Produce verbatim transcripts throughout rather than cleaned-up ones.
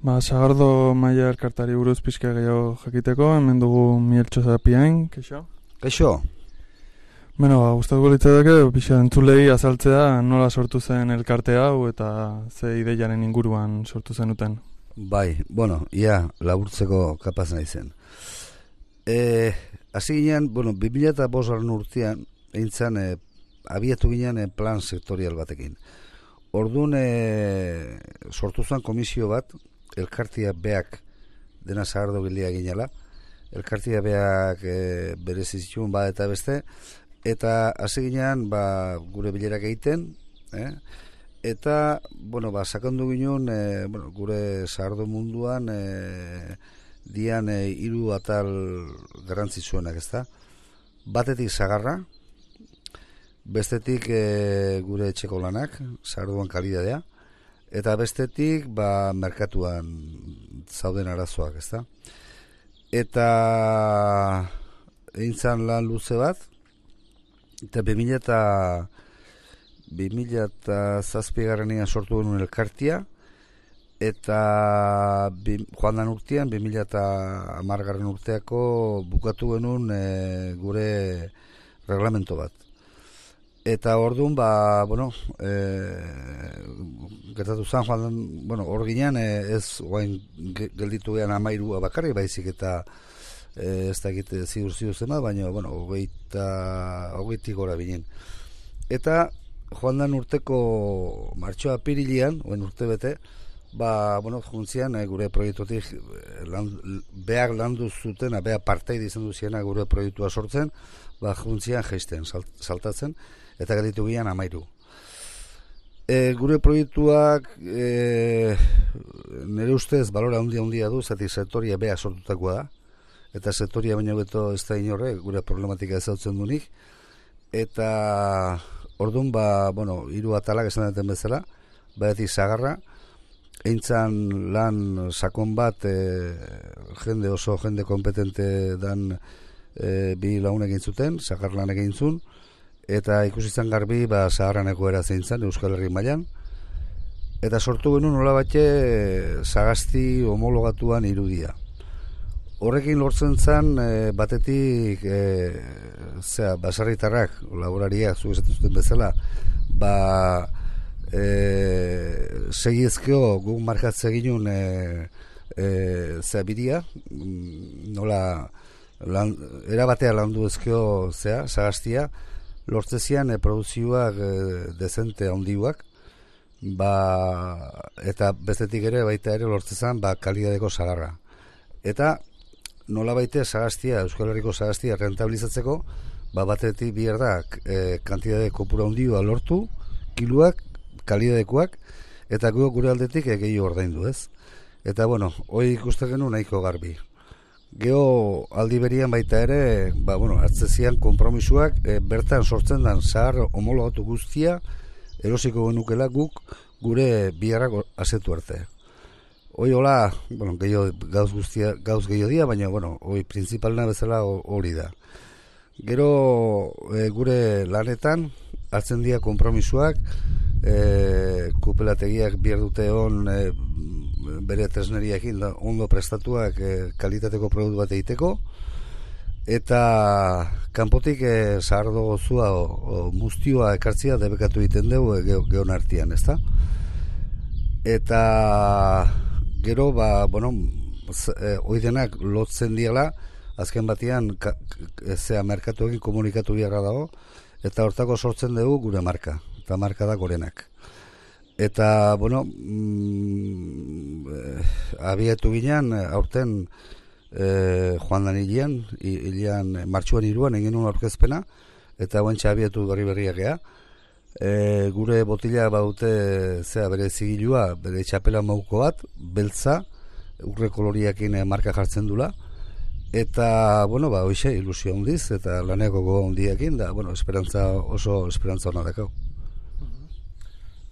Ba, Sagardo maila elkartari buruz pixka gehiago jakiteko, hemen dugu Mieltxo Zapiain, keixo? Keixo? Bueno, ba, gustatuko litzateke, pixka entzulei azaltzea nola sortu zen elkarte hau eta ze ideiaren inguruan sortu zenuten. Bai, bueno, ia laburtzeko kapaz nahi zen. E, Hasi ginen, bueno, bi mila bost urtean, eintzan, e, abiatu ginen e, plan sektorial batekin. Orduan e, sortu zen komisio bat, elkartia beak dena Sagardo gilea ginela, elkartia beak e, berezizitun bat eta beste, eta hasi ginen ba, gure bilerak egiten, eh? Eta, bueno, ba, sakondu ginen, e, bueno, gure Sagardo munduan e, dian e, hiru atal garrantzitsuenak, ezta? Batetik Sagarra, bestetik e, gure etxeko lanak, Sagardoan kalidadea, eta bestetik ba, merkatuan zauden arazoak, ezta? Eta egin zan lan luze bat, eta bi mila eta bi mila zazpigarrenean sortu genuen elkartia, eta bi, joan dan urtean, bi mila eta hamargarren urteako bukatu genuen e, gure reglamento bat. Eta orduan, ba, bueno, e, gertatu zen, joan, bueno, hor ginen, e, ez oain gelditu gehan amairua bakarri, baizik eta e, ez da egite ziur ziur zema, baina, bueno, hogeita, hogeitik gora binen. Eta joan dan urteko martxoa apirilean, oen urte bete, ba, bueno, juntzian, e, gure proiektutik lan, behar landu zuten, behar parteid izan duziena gure proiektua sortzen, ba, juntzian geisten, salt, saltatzen, eta gelditu gian amairu. E, gure proiektuak e, nire ustez balora handia handia du, zati sektoria beha sortutakoa da, eta sektoria baino beto ez da inorre, gure problematika ezautzen dunik, eta orduan, ba, bueno, hiru atalak esan duten bezala, badetik Sagarra, eintzan lan sakon bat, e, jende oso jende kompetente dan e, bi laun egin zuten, Sagar lan egin zuen, eta ikusi izan garbi ba, Sagarran egoera zein zen Euskal Herri mailan, eta sortu genuen nola batxe sagasti homologatuan irudia. Horrekin lortzen zen e, batetik e, zera, baserritarrak, laborariak zu esatuzten bezala, ba e, segiezkeo guk markatze ginen e, e, zera bidia, nola lan, erabatea landu ezkeo zera, sagastia, lortzezian e, produzioak e, dezente handiuak, ba, eta bestetik ere baita ere lortzezan ba, kalidadeko Sagarra. Eta nola baita sagastia, Euskal Herriko sagastia rentabilizatzeko, ba, batetik bihar da e, kantidade kopura handiua lortu, kiluak, kalidadekoak, eta gu gure aldetik e, gehiago ordaindu, ez? Eta bueno, hoi ikusten genuen nahiko garbi. Geho aldi berian baita ere, ba, bueno, hartzezian konpromisuak e, bertan sortzen dan Sagar homologatu guztia erosiko genukela guk gure biharrak asetu arte. Hoi hola, bueno, gehiago, gauz guztia, gauz gehiago dia, baina, bueno, hoi printzipalena bezala hori da. Gero e, gure lanetan hartzen dira konpromisuak, e, kupelategiak bihar dute hon e, bere tresneriakin ondo prestatuak e, kalitateko produktu bat egiteko, eta kanpotik e, Sagardo gozua o, o muztioa ekartzia debekatu egiten dugu e, geon artean, ezta? Eta gero, ba, bueno, e, oidenak lotzen diala, azken batean ka, ezea merkatuekin komunikatu biharra dago, eta hortako sortzen dugu gure marka, eta marka da gorenak. Eta, bueno, mm, eh, abiatu ginen, aurten eh, joan dan hilean, hilean martxuan iruan egin nuen aurkezpena, eta guantxa abiatu berri berriak gea. E, gure botila baute zera bere zigilua, bere txapela mauko bat, beltza, urre koloriakin marka jartzen dula, eta, bueno, ba, hoxe, ilusio handiz, eta laneko go handiakin, da, bueno, esperantza, oso esperantza hona dakau.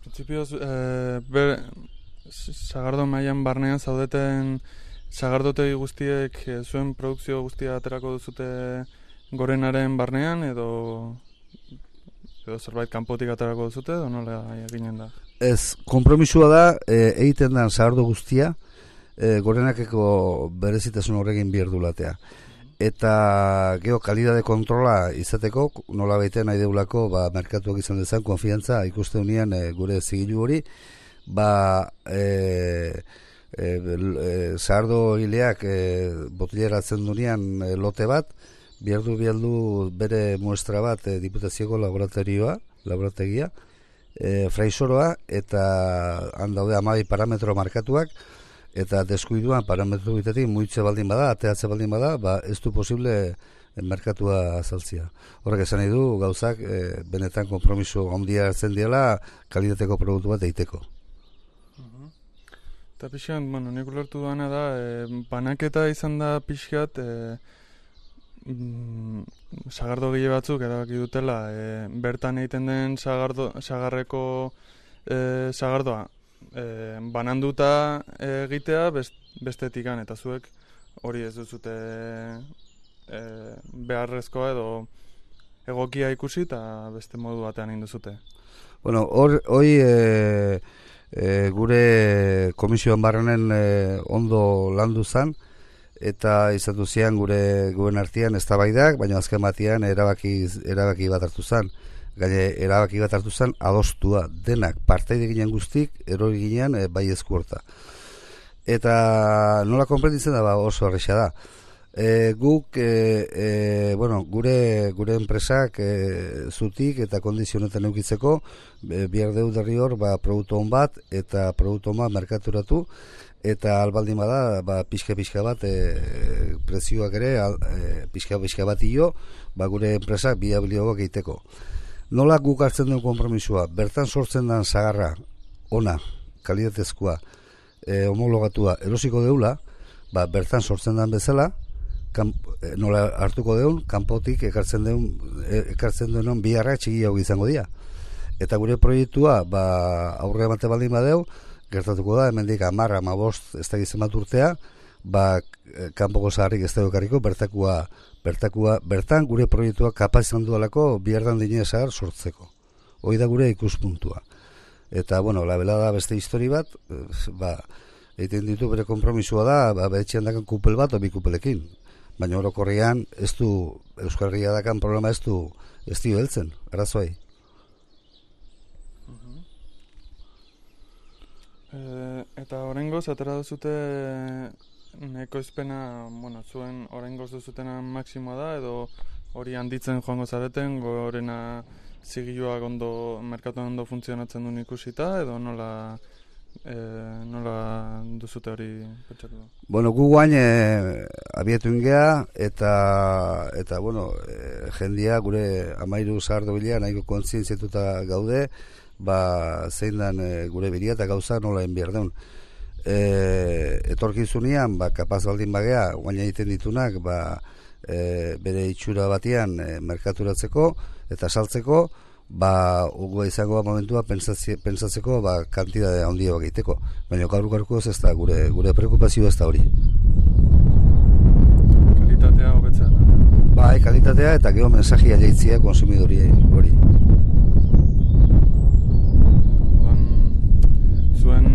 Printzipioz, e, ber, Sagardo mailan barnean zaudeten sagardotegi guztiek e, zuen produkzio guztia aterako duzute gorenaren barnean, edo edo zerbait kanpotik aterako duzute, edo nola ginen da? Ez, konpromisua da, e, egiten den Sagardo guztia, e, gorenakeko berezitasun horrekin bierdulatea. Eta geho kalidade kontrola izateko, nola baitean nahi deulako, ba, merkatuak izan dezan, konfiantza ikuste unian e, gure zigilu hori, ba, e, e, e, zahardo hileak e, botileratzen dunean e, lote bat, biardu bialdu bere muestra bat e, Diputazioko laboratorioa, laborategia, e, fraisoroa, eta handaude hamabi parametro markatuak, eta deskuiduan parametro bitetik muitze baldin bada, ateatze baldin bada, ba, ez du posible merkatua azaltzia. Horrek esan nahi du, gauzak e, benetan konpromiso handia hartzen diela kalitateko produktu bat eiteko. Eta pixkat, bueno, nik ulertu duana da, e, banaketa izan da pixkat, e, mm, sagardo gile batzuk erabaki dutela, e, bertan egiten den sagardo, sagarreko e, sagardoa, e, bananduta egitea best, bestetikan, eta zuek hori ez duzute e, beharrezkoa edo egokia ikusi eta beste modu batean egin duzute. Bueno, hor, hoi e, e, gure komisioan barrenen e, ondo landu zan, eta izatu zian gure guen artean eztabaidak, baina azken batean erabaki, erabaki bat hartu zan. Gaine, erabaki bat hartu zen, adostua denak partaide ginen guztik, erori ginen e, bai esku horta. Eta nola konpretitzen da, ba, oso erresa da. E, guk, e, e, bueno, gure gure enpresak e, zutik eta kondizionetan eukitzeko, e, bihar deu derri hor, ba, produktu hon bat, eta produktu hon bat merkaturatu, eta albaldin bada, ba, pixka-pixka bat, e, prezioak ere, e, pixka-pixka bat io, ba, gure enpresak biabilioak egiteko. Nola guk hartzen duen konpromisua, bertan sortzen den zagarra, ona, kalitatezkoa, e, homologatua, erosiko deula, ba, bertan sortzen den bezala, kan, e, nola hartuko deun, kanpotik ekartzen deun, e, ekartzen duen biharra txigiago izango dira. Eta gure proiektua, ba, aurre emate baldin badeu, gertatuko da, hemendik hamar, hamabost, ez da gizien bat urtea, ba, kanpoko zaharrik ez da eukarriko, bertakua, bertakua, bertan gure proiektua kapaz izan dualako bihardan dine zahar sortzeko. Hoi da gure ikuspuntua. Eta, bueno, la belada beste histori bat, ba, egiten ditu bere konpromisua da, ba, betxean dakan kupel bat, o bi kupelekin. Baina orokorrean, ez du, Euskal Herria dakan problema ez du, ez dio heltzen, arazoai. E, eta oraingoz atera duzute ekoizpena, bueno, zuen oraingoz duzutena maksimoa da, edo hori handitzen joango zareten, gorena zigiluak ondo, merkatuan ondo funtzionatzen duen ikusita, edo nola, e, nola duzute hori pentsatu da? Bueno, gu guain e, abietu ingea, eta, eta bueno, e, jendia gure amairu zahardo bilea nahiko kontzientziatuta gaude, ba, zein dan e, gure bilia eta gauza nola enbiar deun. E, etorkizunean, ba, kapaz baldin bagea, guaina egiten ditunak, ba, e, bere itxura batean e, merkaturatzeko eta saltzeko, ba, ugo izango momentua pentsatzeko, ba, kantidade handia egiteko. Baina gaur gaurko ez da, gure, gure preokupazio ez da hori. Kalitatea hobetzea. Bai, kalitatea eta gero mensajia jaitzia konsumidoriei hori. Zuen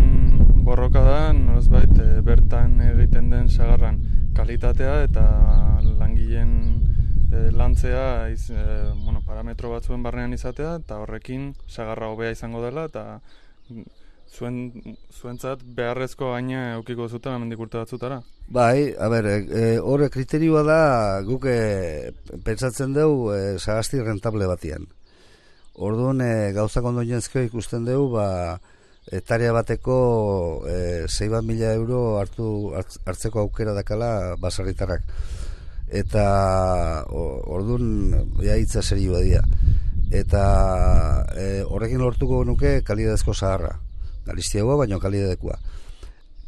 borroka da, nolazbait, e, bertan egiten den sagarran kalitatea eta langileen e, lantzea iz, e, bueno, parametro batzuen barnean izatea, eta horrekin sagarra hobea izango dela, eta zuen, zuentzat beharrezko gaina eukiko zuten hemendik urte batzutara. Bai, a ber, e, horre kriterioa da guk e, pentsatzen dugu e, sagasti rentable batian. Orduan e, gauzak ondo jentzko ikusten dugu, ba, etaria bateko e, sei bat mila euro hartu hartzeko aukera dakala basarritarrak. Eta orduan ja hitza serioa dira. Eta e, horrekin lortuko nuke kalidadezko zaharra. Galistiagoa, baina kalidadekoa.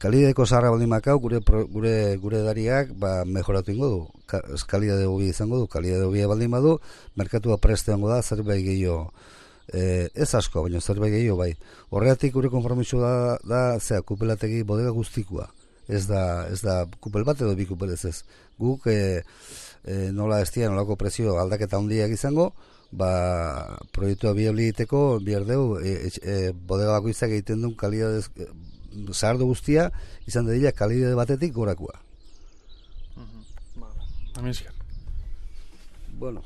Kalidadeko zaharra baldin makau, gure, gure, gure dariak ba, mejoratu ingo du. Ka, kalidade hobi izango du, kalidade hobi baldin badu, merkatua presteango da, zerbait gehiago. E, ez asko, baina zerbait gehiago bai. Horregatik gure konpromiso da, da zera, kupelategi bodega guztikoa. Ez da, ez da kupel bat edo bi kupel ez ez. Guk e, e, nola ez dira, nolako prezio aldaketa handiak izango, ba, proiektua biabiliteko bihar deu, e, e, bodega bakoitzak egiten duen kalidadez, zagardo guztia izan dadila kalidade batetik gorakoa. Mhm. Vale. Amisker. Bueno.